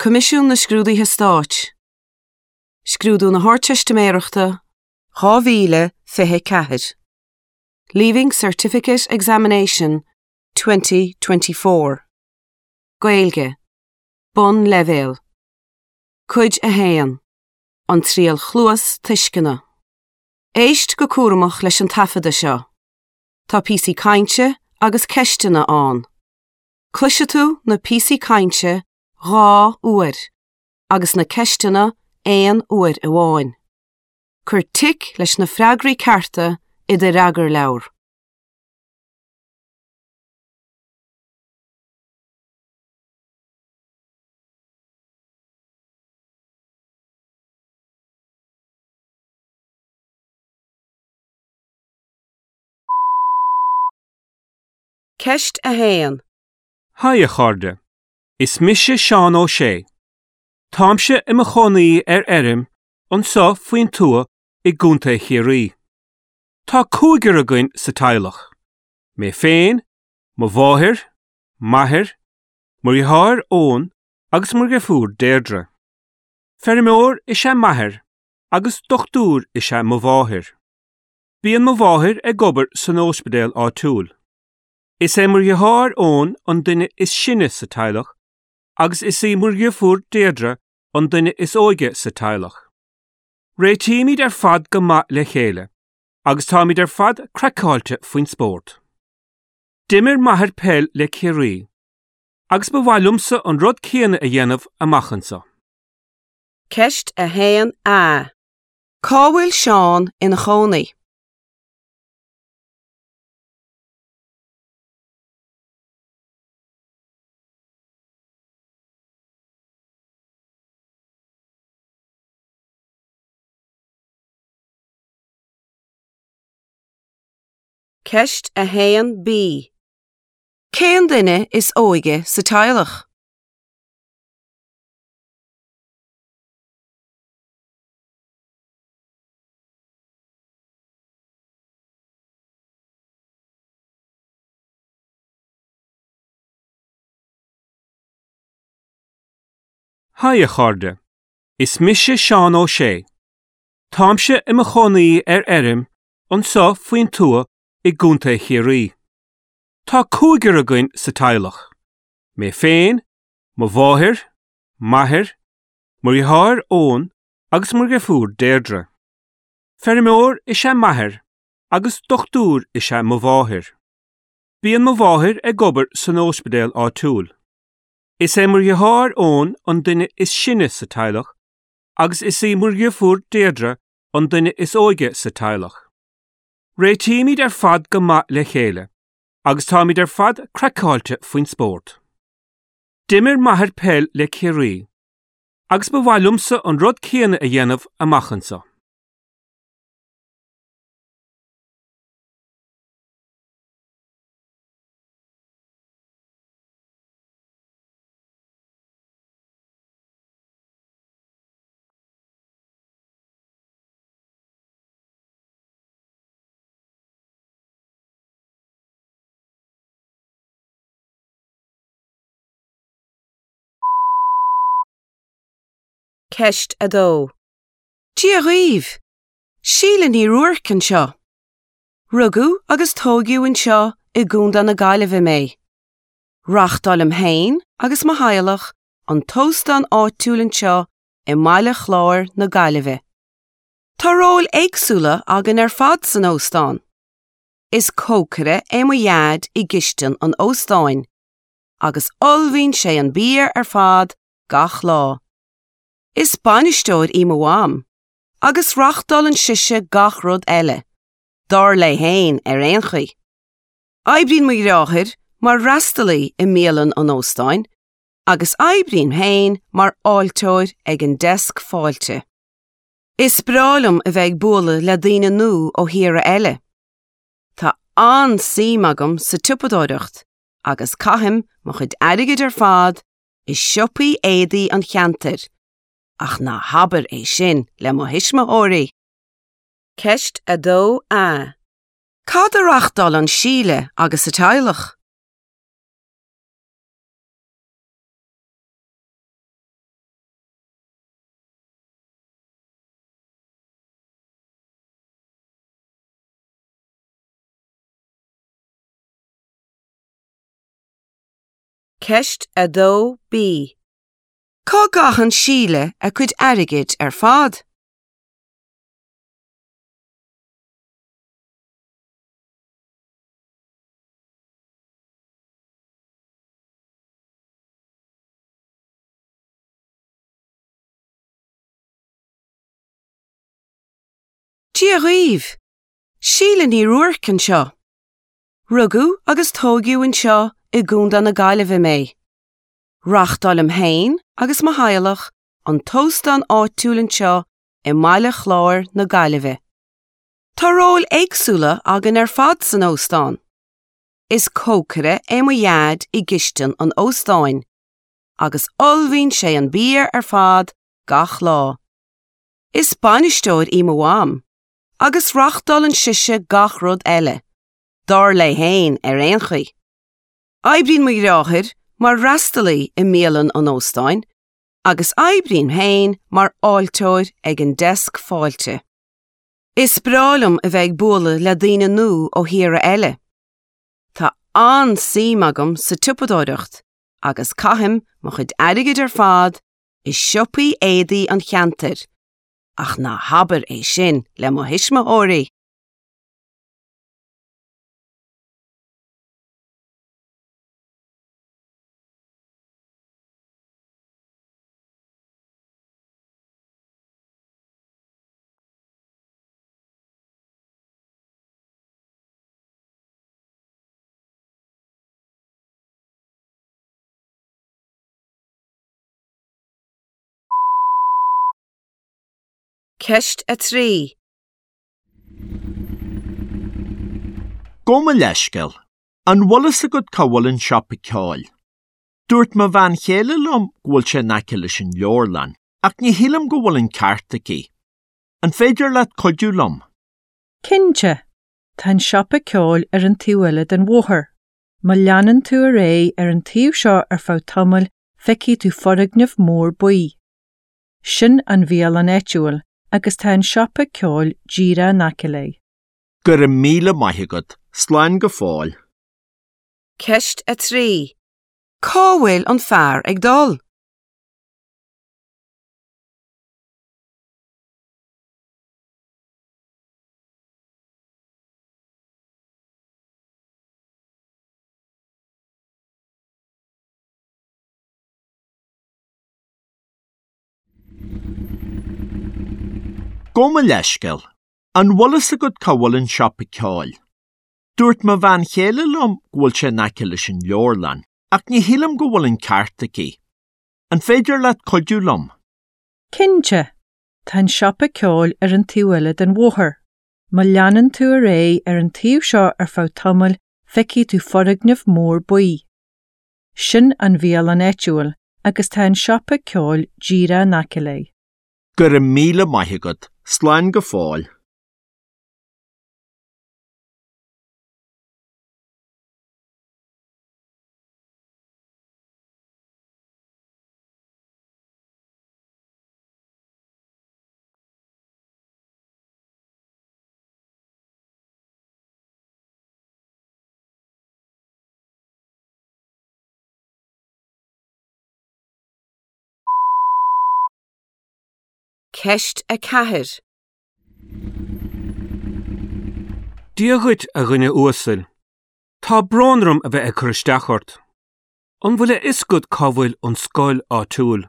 Coimisiún na Scrúduithe Stáit, Scrúdú na hArdteistiméireachta 2024, Leaving Certificate Examination 2024, Gaeilge, Bonnleibhéal, Cuid 1, An Triail Chluas-Tuisceana. Éist go cúramach leis an taifeadadh seo. Tá píosaí cainte agus ceisteanna ann. Cloisfidh tú na píosaí cainte 2 uair agus na ceisteanna aon uair amháin. Cuir tic leis na freagraí cearta i do fhreagarleabhar. Ceist 1. Haigh a chairde, is mise Seán Ó Sé. Táimse i mo chónaí ar fheirm anseo faoin tuath i gContae Chiarraí. Tá cúigear againn sa teaghlach, mé féin, mo mháthair, m'athair, mo dheartháir Eoin agus mo dheirfiúr Deirdre. Feirmeoir is ea m'athair agus dochtúir is ea mo mháthair. Bíonn mo mháthair ag obair san óispidéal áitiúil. Is é mo dheartháir Eoin an duine is sine sa teaghlach agus is í mo dheirfiúr Deirdre an duine is óige sa teaghlach. Réitímid ar fad go maith le chéile agus táimid ar fad craiceáilte faoin spórt. D'imir m'athair peil le Ciarraí agus ba mhaith liomsa an rud céanna a dhéanamh amach anseo. Ceist 1A. Cá bhfuil Seán ina chónaí? Ceist 1B. Cén duine is óige sa teaghlach? Haigh a chairde, is mise Seán Ó Sé. Táimse i mo chónaí ar fheirm anseo faoin tuath i gContae Chiarraí. Tá cúigear againn sa teaghlach, mé féin, mo mháthair, m'athair, mo dheartháir Eoin agus mo dheirfiúr Deirdre. Feirmeoir is ea m'athair agus dochtúir is ea mo mháthair. Bíonn mo mháthair ag obair san óispidéal áitiúil. Is é mo dheartháir Eoin an duine is sine sa teaghlach agus is í mo dheirfiúr Deirdre an duine is óige sa teaghlach. Réitímid ar fad go maith le chéile agus táimid ar fad craiceáilte faoin spórt. D'imir m'athair peil le Ciarraí agus ba mhaith liomsa an rud céanna a dhéanamh amach anseo. Ceist 2. Dia dhaoibh! Síle Ní Ruairc anseo. Rugadh agus tóigeadh anseo i gContae na Gaillimhe mé. Reáchtálaim féin agus mo theaghlach an t-óstán áitiúil anseo i mBaile Chláir na Gaillimhe. Tá róil éagsúla againn ar fad san óstán. Is cócaire é mo dhaid i gcistin an óstáin agus ullmhaíonn sé an bia ar fad gach lá. Is bainisteoir í mo mham agus reáchtálann sise gach rud eile, dar léi féin ar aon chaoi. Oibríonn mo dheartháir mar fhreastalaí i mbialann an óstáin agus oibrím féin mar fháilteoir ag an deasc fáilte. Is breá liom a bheith ag bualadh le daoine nua ó thíortha eile. Tá an-suim agam sa tsiopadóireacht agus caithim mo chuid airgid ar fad i siopaí éadaí an cheantair, ach ná habair é sin le mo thuismitheoirí! Ceist 2A. Cad a reáchtálann Síle agus a teaghlach? Ceist 2B. Cá gcaitheann Síle a cuid airgid ar fad? Dia dhaoibh! Síle Ní Ruairc anseo. Rugadh agus tóigeadh anseo i gContae na Gaillimhe mé. Reáchtáilim féin agus mo theaghlach an t-óstán áitiúil anseo i mBaile Chláir na Gaillimhe. Tá róil éagsúla againn ar fad san óstán. Is cócaire é mo dhaid i gcistin an óstáin agus ullmhaíonn sé an bia ar fad gach lá. Is bainisteoir í mo mham agus reáchtálann sise gach rud eile, dar léi féin ar aon chaoi. Oibríonn mo dheartháir mar fhreastalaí i mbialann an óstáin agus oibrím féin mar fháilteoir ag an deasc fáilte. Is breá liom a bheith ag bualadh le daoine nua ó thíortha eile. Tá an-suim agam sa tsiopadóireacht agus caithim mo chuid airgid ar fad i siopaí éadaí an cheantair, ach ná habair é sin le mo thuismitheoirí! Ceist 3. Gabh mo leithscéal. An bhfuil fhios agat cá bhfuil an siopa ceoil? Dúirt mo bhean chéile liom go bhfuil sé in aice leis an leabharlann, ach ní shílim go bhfuil an ceart aici. An féidir leat cuidiú liom? Cinnte! Tá an siopa ceoil ar an taobh eile den bhóthar. Má leanann tú ar aghaidh ar an taobh seo ar feadh tamaill feicfidh tú foirgneamh mór buí. Sin an bhialann áitiúil agus tá an siopa ceoil díreach in aice léi. Go raibh míle maith agat. Slán go fóill. Ceist 3. Cá bhfuil an fear ag dul? Gabh mo leithscéal. An bhfuil fhios agat cá bhfuil an siopa ceoil? Dúirt mo bhean chéile liom go bhfuil sé in aice leis an leabharlann, ach ní shílim go bhfuil an ceart aici. An féidir leat cuidiú liom? Cinnte! Tá an siopa ceoil ar an taobh eile den bhóthar. Má leanann tú ar aghaidh ar an taobh seo ar feadh tamaill feicfidh tú foirgneamh mór buí. Sin an bhialann áitiúil agus tá an siopa ceoil díreach in aice léi. Go raibh míle maith agat. Slán go fóill. Ceist 4. Dia dhuit, a dhuine uasail. Tá brón orm a bheith ag cur isteach ort. An bhfuil a fhios agat cá bhfuil an scoil áitiúil?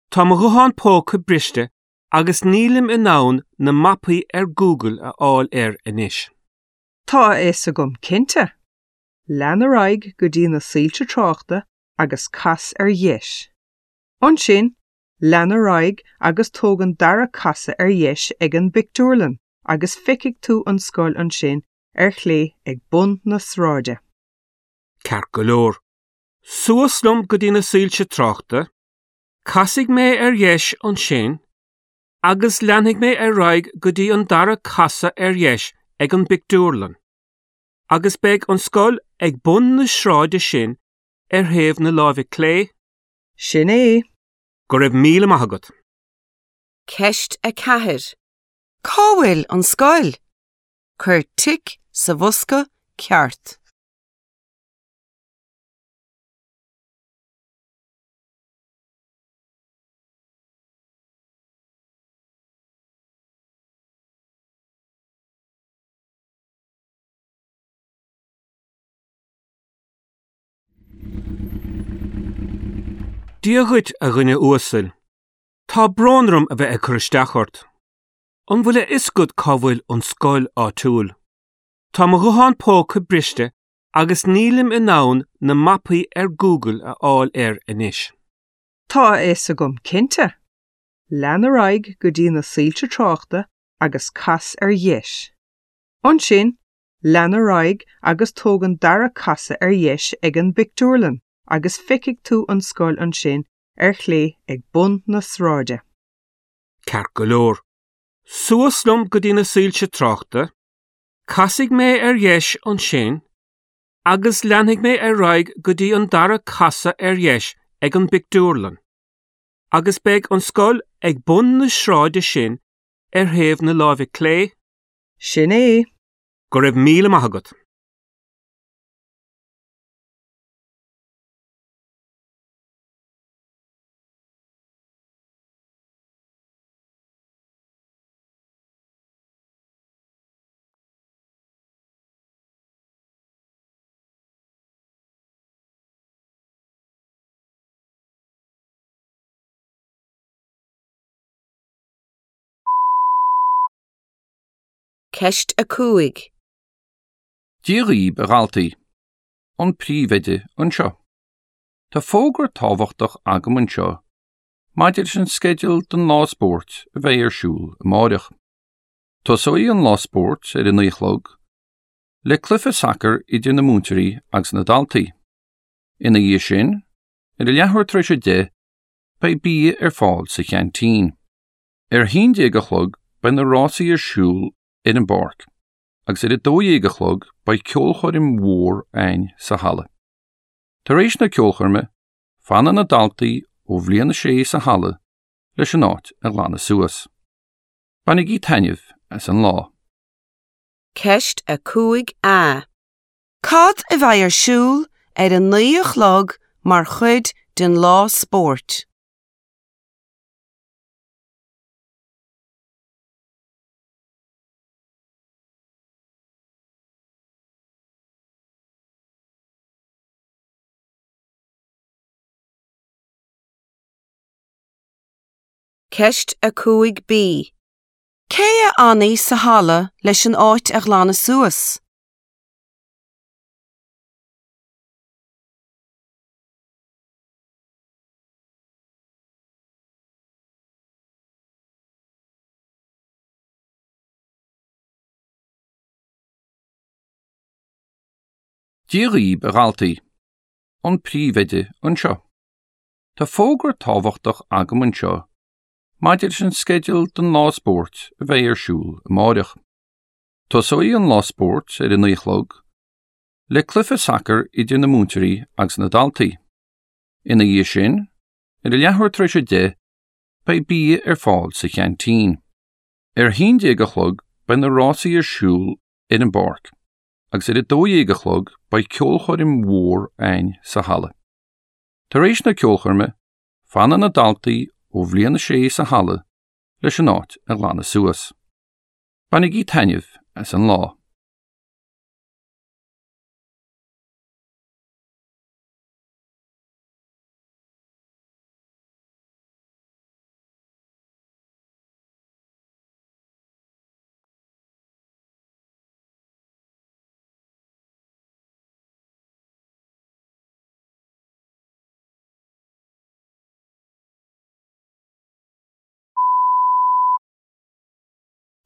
Tá mo ghuthán póca briste agus nílim in ann na mapaí ar Google a fháil air anois. Tá a fhios agam cinnte. Lean ar aghaidh go dtí na soilse tráchta agus cas ar dheis. Ansin, lean ar aghaidh agus tóg an dara casadh ar dheis ag an bpictiúrlann agus feicfidh tú an scoil ansin ar chlé ag bun na sráide. Ceart go leor. Suas liom go dtí na soilse tráchta, casfaidh mé ar dheis ansin agus leanfaidh mé ar aghaidh go dtí an dara casadh ar dheis ag an bpictiúrlann. Agus beidh an scoil ag bun na sráide sin ar thaobh na láimhe clé? Sin é. Go raibh míle maith agat. Ceist 4. Cá bhfuil an scoil? Cuir tic sa bhosca ceart. Dia dhuit, a dhuine uasail. Tá brón orm a bheith ag cur isteach ort. An bhfuil a fhios agat cá bhfuil an scoil áitiúil? Tá mo ghuthán póca briste agus nílim in ann na mapaí ar Google a fháil air anois. Tá a fhios agam cinnte. Lean ar aghaidh go dtí na soilse tráchta agus cas ar dheis. Ansin, lean ar aghaidh agus tóg an dara casadh ar dheis ag an bpictiúrlann agus feicfidh tú an scoil ansin ar chlé ag bun na sráide. Ceart go leor. Suas liom go dtí na soilse tráchta, casfaidh mé ar dheis ansin agus leanfaidh mé ar aghaidh go dtí an dara casadh ar dheis ag an bpictiúrlann. Agus beidh an scoil ag bun na sráide sin ar thaobh na láimhe clé? Sin é. Go raibh míle maith agat. Ceist 5. Dia dhaoib a dhaltaí. An príomhoide anseo. Tá fógra tábhachtach agam anseo maidir leis an sceideal don lá spóirt a bheidh ar siúl amáireach. Tosóidh an lá spóirt ar a 9 a chlog le cluiche sacair idir na múinteoirí agus na daltaí. Ina dhiaidh sin, ar a leathuair tar éis a 10, beidh bia ar fáil sa cheaintín. Ar a haon déag a chlog beidh na rásaí ar siúl ar an bpáirc agus ar a 12 a chlog beidh ceolchoirm mhór a'inn sa halla. Tar éis na ceolchoirme, fanann na daltaí ó bhliain a sé sa halla leis an áit a ghlanadh suas. Bainigí taitneamh as an lá. Ceist 5A. Cad a bheidh ar siúl ar a 9 a chlog mar chuid den lá spóirt? Ceist 5B. Cé a fhanfaidh sa halla leis an áit a ghlanadh suas? Dia dhaoib a dhaltaí. An príomhoide anseo. Tá fógra tábhachtach agam anseo maidir leis an sceideal don lá spóirt a bheidh ar siúl amáireach. Tosóidh an lá spóirt ar a 9 a chlog le cluiche sacair idir na múinteoirí agus na daltaí. Ina dhiaidh sin, ar a leathuair tar éis a 10, beidh bia ar fáil sa cheaintín. Ar a haon déag a chlog beidh na rásaí ar siúl ar an bpáirc agus ar a 12 a chlog beidh ceolchoirm mhór a'inn sa halla. Tar éis na ceolchoirme, fanann na daltaí ó bhliain a sé sa halla leis an áit a ghlanadh suas. Bainigí taitneamh as an lá.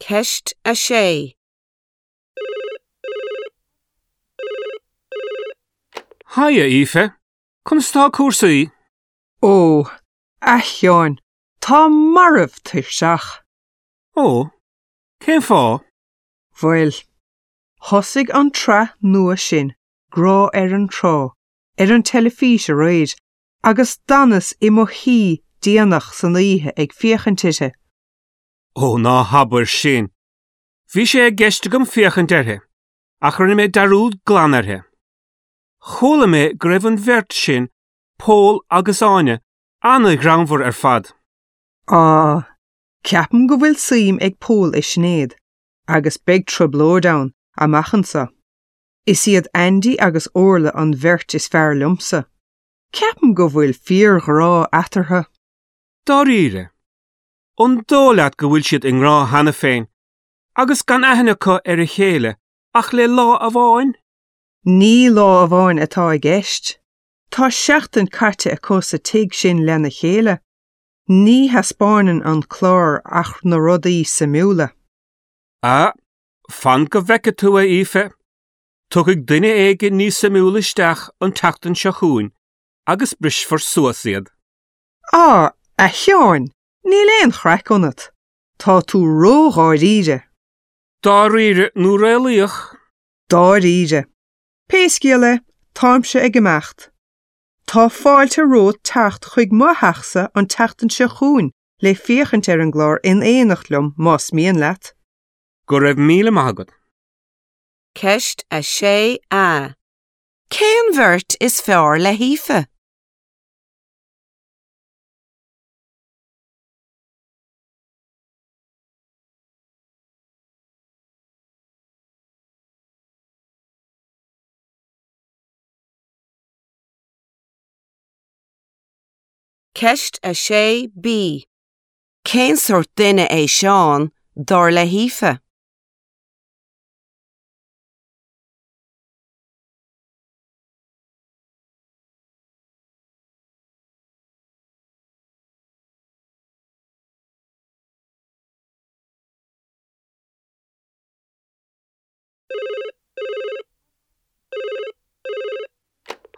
Ceist 6. Haigh, a Aoife. Conas tá cúrsaí? Ó, a Sheáin, táim marbh tuirseach. Ó, cén fáth? Bhuel, thosaigh an tsraith nua sin, Grá ar an Trá, ar an teilifís aréir agus d'fhanas i mo shuí déanach san oíche ag féachaint uirthi. Ó, ná habair sin! Bhí sé i gceist agam féachaint uirthi, ach rinne mé dearúd glan uirthi. Chuala mé go raibh an bheirt sin, Pól agus Áine, an-ghreannmhar ar fad. Á, ceapaim go bhfuil suim ag Pól i Sinéad, agus beidh trioblóid ann, amach anseo. Is iad Andy agus Orla an bheirt is fearr liomsa. Ceapaim go bhfuil fíorghrá eatarthu. Dáiríre? An dóigh leat go bhfuil siad i ngrá cheana féin agus gan aithne acu ar a chéile ach le lá amháin? Ní lá amháin atá i gceist. Tá seachtain caite acu sa tigh sin lena chéile. Ní thaispeánann an clár ach na rudaí suimiúla. Ah, fan go bhfeice tú, a Aoife. Tiocfaidh duine éigin níos suimiúla isteach an tseachtain seo chugainn agus brisfear suas iad. Á, a Sheáin, níl aon chraic ionat. Tá tú ródháiríre. Dáiríre nó réalaíoch? Dáiríre. Pé scéal é, táimse ag imeacht. Tá fáilte romhat teacht chuig mo theachsa an tseachtain seo chugainn le féachaint ar an gclár in éineacht liom más mian leat. Go raibh míle maith agat. Ceist 6A. Cén bheirt is fearr le hAoife? Ceist 6B. Cén sórt duine é Seán, dar le hAoife?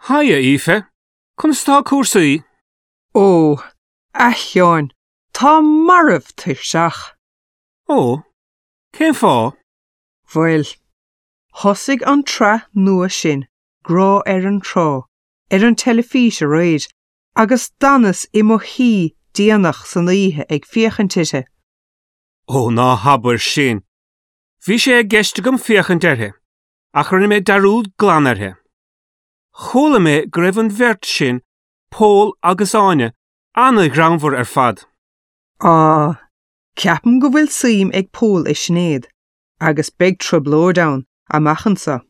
Haigh, a Aoife. Conas tá cúrsaí? Ó, a Sheáin, táim marbh tuirseach. Ó, cén fáth? Bhuel, thosaigh an tsraith nua sin, Grá ar an Trá, ar an teilifís aréir agus d'fhanas i mo shuí déanach san oíche ag féachaint uirthi. Ó, ná habair sin! Bhí sé i gceist agam féachaint uirthi, ach rinne mé dearúd glan uirthi. Chuala mé go raibh an bheirt sin, Pól agus Áine, an-ghreannmhar ar fad. Á, ceapaim go bhfuil suim ag Pól i Sinéad, agus beidh trioblóid ann, amach anseo.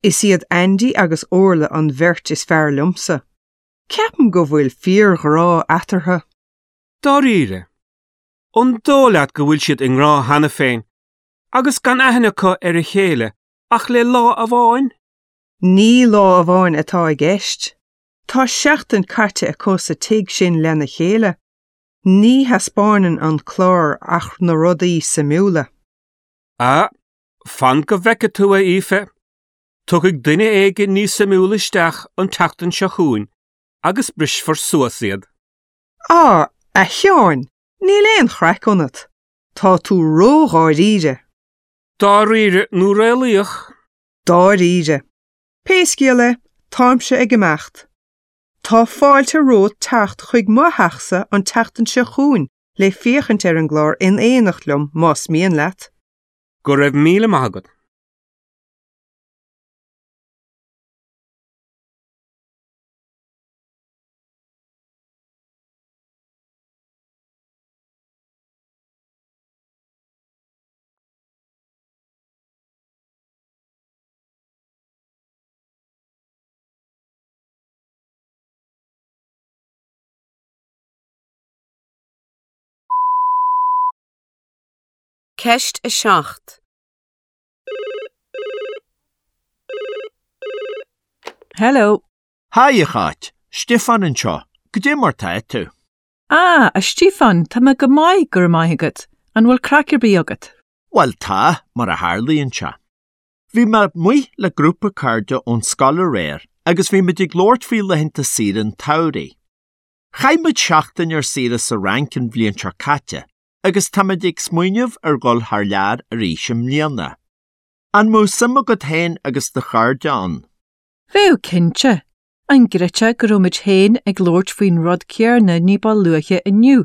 Is iad Andy agus Orla an bheirt is fearr liomsa. Ceapaim go bhfuil fíorghrá eatarthu. Dáiríre? An dóigh leat go bhfuil siad i ngrá cheana féin agus gan aithne acu ar a chéile ach le lá amháin? Ní lá amháin atá i gceist. Tá seachtain caite acu sa tigh sin lena chéile. Ní thaispeánann an clár ach na rudaí suimiúla. Ah, fan go bhfeice tú, a Aoife. Tiocfaidh duine éigin níos suimiúla isteach an tseachtain seo chugainn agus brisfear suas iad. Á, a Sheáin, níl aon chraic ionat. Tá tú ródháiríre. Dáiríre nó réalaíoch? Dáiríre. Pé scéal é, táimse ag imeacht. Tá fáilte romhat teacht chuig mo theachsa an tseachtain seo chugainn le féachaint ar an gclár in éineacht liom más mian leat. Go raibh míle maith agat. Ceist 7. Hello. Haigh, a Cháit. Stiofán anseo. Goidé mar tá tú? Ah, a Stiofáin, tá mé go maith, go raibh maith agat. An bhfuil craic ar bith agat? Bhuel tá, mar a tharlaíonn sé. Bhí mé amuigh le grúpa cairde ón scoil aréir agus bhí muid ag labhairt faoi laethanta saoire an tsamhraidh. Chaith muid seachtain ar saoire sa Fhrainc an bhliain seo caite agus táimid ag smaoineamh ar dhul thar lear arís i mbliana. An mbeadh suim agat féin agus do chairde ann? Bheadh cinnte. An gcreidfeá go raibh muid féin ag labhairt faoin rud céarna ní ba luaithe inniu?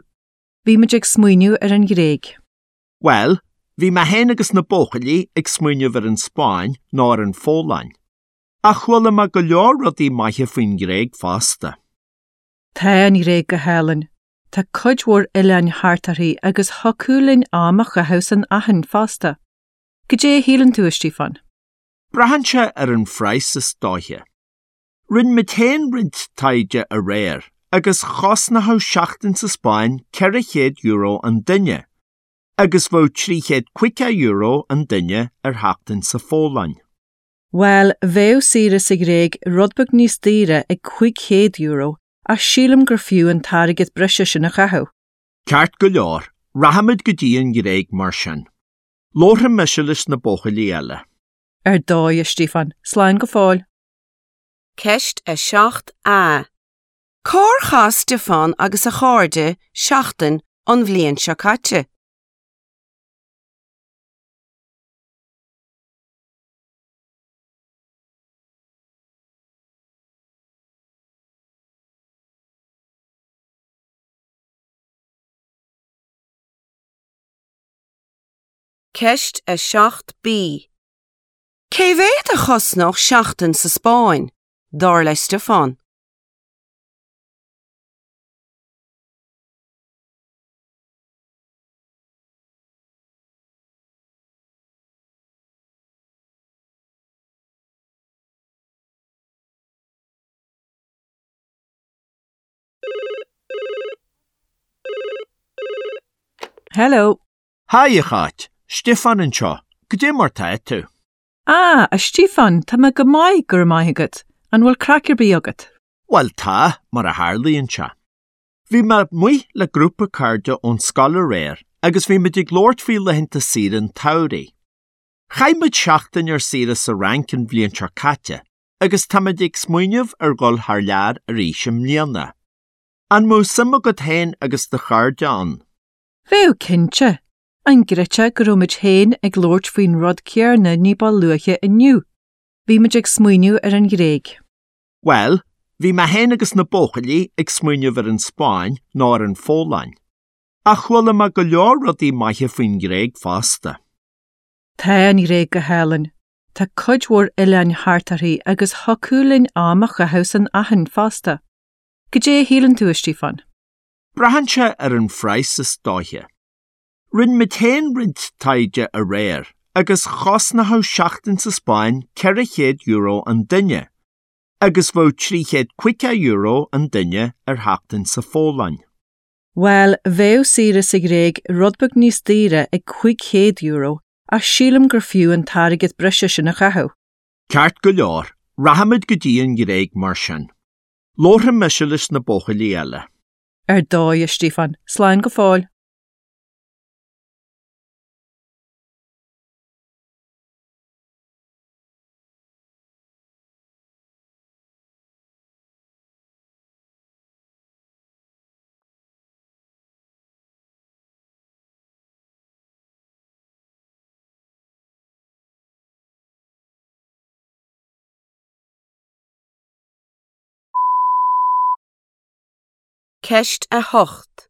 Bhí muid ag smaoineamh ar an Ghréig. Bhuel, bhí mé féin agus na buachaillí ag smaoineamh ar an Spáinn nó ar an Pholainn. Ach chuala mé go leor rudaí maithe faoin nGréig fosta. Tá an Ghréig go hálainn. Tá cuid mhór oileáin thart uirthi agus thiocfadh linn am a chaitheamh san Aithin fosta. Goidé a shíleann tú, a Stíofáin? Braitheann sé ar an phraghas is dóiche. Rinne muid féin roinnt taighde aréir agus chosnódh seachtain sa Spáinn €400 an duine agus bheadh €350 an duine ar sheachtain sa Pholainn. Bhuel, bheadh saoire sa Ghréig rud beag níos daoire ag €500 ach sílim gur fiú an t-airgead breise sin a chaitheamh. Ceart go leor, rachaimid go dtí an Ghréig mar sin. Labharfaidh mise leis na buachaillí eile. Ar dóigh, a Stíofáin. Slán go fóill. Ceist 7A. Cár chaith Stiofán agus a chairde seachtain an bhliain seo caite? Ceist 7B. Cé mhéad a chosnódh seachtain sa Spáinn, dar le Stiofán? Hello. Haigh, a Cháit. Stiofán anseo. Goidé mar tá tú? Ah, a Stíofáin, tá mé go maith, go raibh maith agat. An bhfuil craic ar bith agat? Bhuel tá, mar a tharlaíonn sé. Bhí mé amuigh le grúpa cairde ón scoil aréir agus bhí muid ag labhairt faoi laethanta saoire an tsamhraidh. Chaith muid seachtain ar saoire sa Fhrainc an bhliain seo caite agus táimid ag smaoineamh ar dhul thar lear arís i mbliana. An mbeadh suim agat féin agus do chairde ann? Bheadh cinnte. An gcreidfeá go raibh muid féin ag labhairt faoin rud céarna ní ba luaithe inniu? Bhí muid ag smaoineamh ar an Ghréig. Bhuel, bhí mé féin agus na buachaillí ag smaoineamh ar an Spáinn nó ar an Pholainn. Ach chuala mé go leor rudaí maithe faoin nGréig fosta. Tá an Ghréig go hálainn. Tá cuid mhór oileáin thart uirthi agus thiocfadh linn am a chaitheamh san Aithin fosta. Goidé a shíleann tú, a Stíofáin? Braitheann sé ar an phraghas is dóiche. Rinne muid féin roinnt taighde aréir agus chosnódh seachtain sa Spáinn €400 an duine agus bheadh €350 an duine ar sheachtain sa Pholainn. Bhuel, bheadh saoire sa Ghréig rud beag níos daoire ag €500 ach sílim gur fiú an t-airgead breise sin a chaitheamh. Ceart go leor, rachaimid go dtí an Ghréig mar sin. Labharfaidh mise leis na buachaillí eile. Ar dóigh, a Stíofáin. Slán go fóill. Ceist 8.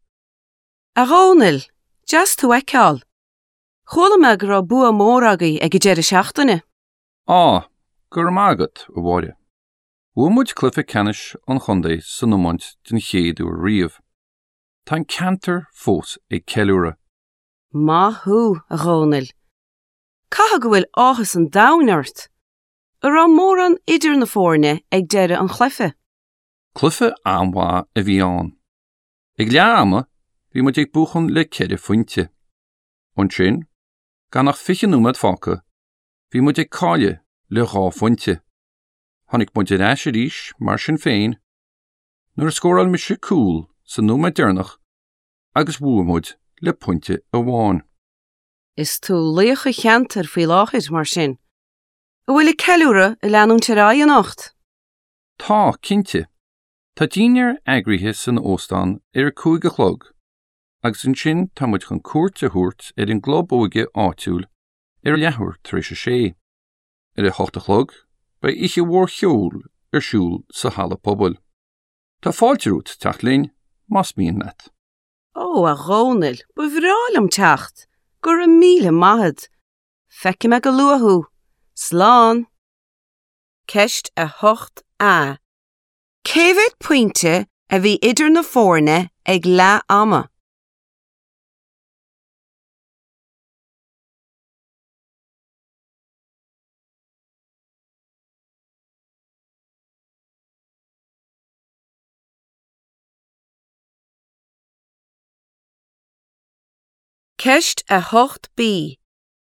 A Dhónaill, deas tú a fheiceáil. Chuala mé go raibh bua mór agaibh ag an deireadh seachtaine. Á, go raibh maith agat, a Mháire. Bhuaigh muid cluiche ceannais an chontae san iomáint den chéad uair riamh. Tá an ceantar fós ag ceiliúradh. Maith thú, a Dhónaill. Caithfidh go bhfuil áthas an domhain ort. An raibh mórán idir na foirne ag deireadh an chluiche? Cluiche an-mhaith a bhí ann. Ag leath ama, bhí muid ag buachan le ceithre phointe. Ansin, gan ach 20 nóiméad fágtha, bhí muid ag cailleadh le dhá phointe. Tháinig muid ar ais arís, mar sin féin, nuair a scóráil mise cúl sa nóiméad deireanach agus bhuaigh muid le pointe amháin. Is tú laoch an cheantair faoi láthair, mar sin. An bhfuil an ceiliúradh ag leanúint ar aghaidh anocht? Tá, cinnte. Tá dinnéar eagraithe san óstán ar a 5 a chlog agus ansin tá muid chun cuairt a thabhairt ar an gclub óige áitiúil ar a leathuair tar éis a sé. Ar a hocht a chlog beidh oíche mhór cheoil ar siúl sa halla pobail. Tá fáilte romhat teacht linn más mian leat. Ó, a Dhónaill, ba bhreá liom teacht! Go raibh míle maith a't. Feicfidh mé go luath thú. Slán! Ceist 8A. Cé mhéad pointe a bhí idir na foirne ag leath ama? Ceist 8B.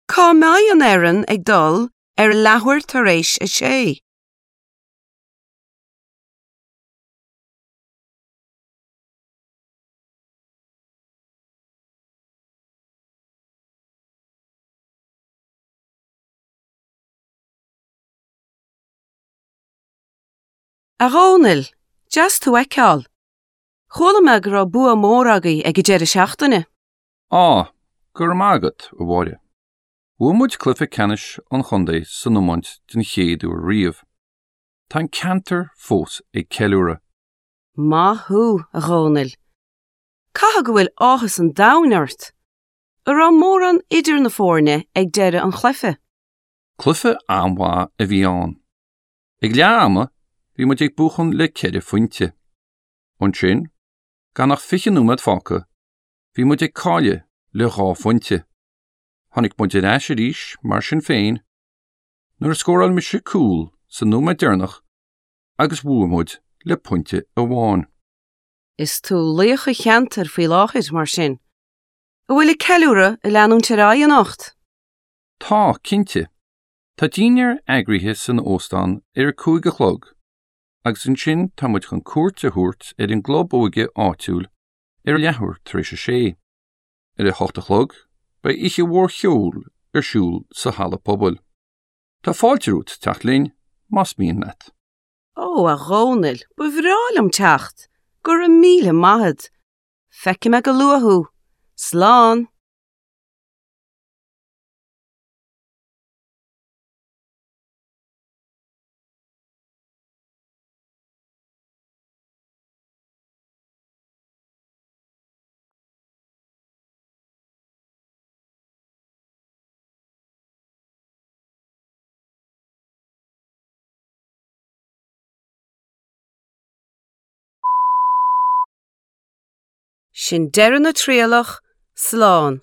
Cá mbeidh an fhoireann ag dul ar leathuair tar éis a sé? A Dhónaill, deas tú a fheiceáil. Chuala mé go raibh bua mór agaibh ag an deireadh seachtaine. Á, go raibh maith agat, a Mháire. Bhuaigh muid cluiche ceannais an chontae san iomáint den chéad uair riamh. Tá an ceantar fós ag ceiliúradh. Maith thú, a Dhónaill. Caithfidh go bhfuil áthas an domhain ort. An raibh mórán idir na foirne ag deireadh an chluiche? Cluiche an-mhaith a bhí ann. Ag leath ama, bhí muid ag buachan le ceithre phointe. Ansin, gan ach 20 nóiméad fágtha, bhí muid ag cailleadh le dhá phointe. Tháinig muid ar ais arís, mar sin féin, nuair a scóráil mise cúl sa nóiméad deireanach agus bhuaigh muid le pointe amháin. Is tú laoch an cheantair faoi láthair, mar sin. An bhfuil an ceiliúradh ag leanúint ar aghaidh anocht? Tá, cinnte. Tá dinnéar eagraithe san óstán ar a 5 a chlog agus ansin tá muid chun cuairt a thabhairt ar an gclub óige áitiúil ar a leathuair tar éis a sé. Ar a hocht a chlog beidh oíche mhór cheoil ar siúl sa halla pobail. Tá fáilte romhat teacht linn más mian leat. Ó, a Dhónaill, ba bhreá liom teacht! Go raibh míle maith a't! Feicfidh mé go luath thú! Slán! Sin deireadh na trialach, slán.